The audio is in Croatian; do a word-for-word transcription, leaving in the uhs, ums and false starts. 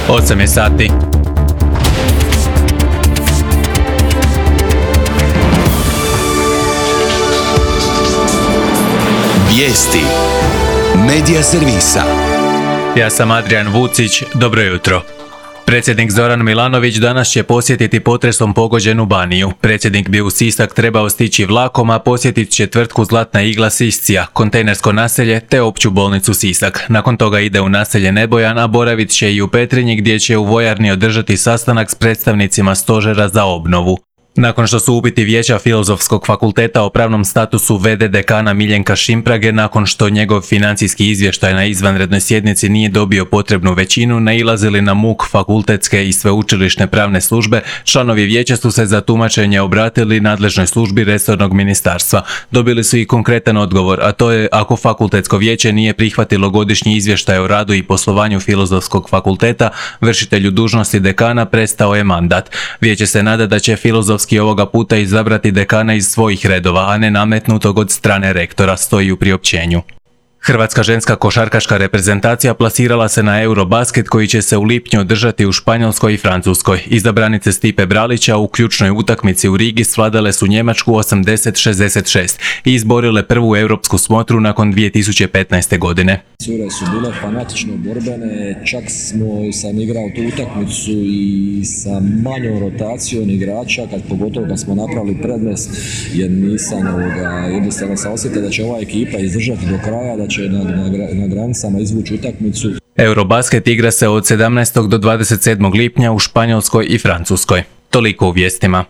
osam je sati. Vijesti Medija servisa. Ja sam Adrian Vucić, dobro jutro. Predsjednik Zoran Milanović danas će posjetiti potresom pogođenu Baniju. Predsjednik bi u Sisak trebao stići vlakom, a posjetit će tvrtku Zlatna igla Siscija, kontejnersko naselje te opću bolnicu Sisak. Nakon toga ide u naselje Nebojan, a boravit će i u Petrinji gdje će u vojarni održati sastanak s predstavnicima stožera za obnovu. Nakon što su upiti Vijeća Filozofskog fakulteta o pravnom statusu v d dekana Miljenka Šimprage, nakon što njegov financijski izvještaj na izvanrednoj sjednici nije dobio potrebnu većinu, nailazili na muk fakultetske i sveučilišne pravne službe, članovi vijeća su se za tumačenje obratili nadležnoj službi resornog ministarstva. Dobili su i konkretan odgovor, a to je ako fakultetsko vijeće nije prihvatilo godišnji izvještaj o radu i poslovanju Filozofskog fakulteta, vršitelju dužnosti dekana prestao je mandat. Vijeće se nada da će Filozofski ovoga puta izabrati dekana iz svojih redova, a ne nametnutog od strane rektora, stoji u priopćenju. Hrvatska ženska košarkaška reprezentacija plasirala se na Eurobasket koji će se u lipnju održati u Španjolskoj i Francuskoj. Izabranice Stipe Bralića u ključnoj utakmici u Rigi svladale su Njemačku osamdeset šezdeset šest i izborile prvu europsku smotru nakon dvije tisuće petnaeste. godine. Cure su bile fanatično borbene, čak smo sam igrao tu utakmicu i sa manjom rotacijom igrača, kad pogotovo da smo napravili prednost, jer nisam ovoga, jednostavno sam osjetio da će ova ekipa izdržati do kraja, da će na, na, na granicama izvući utakmicu. Eurobasket igra se od sedamnaestog do dvadeset sedmog lipnja u Španjolskoj i Francuskoj. Toliko u vijestima.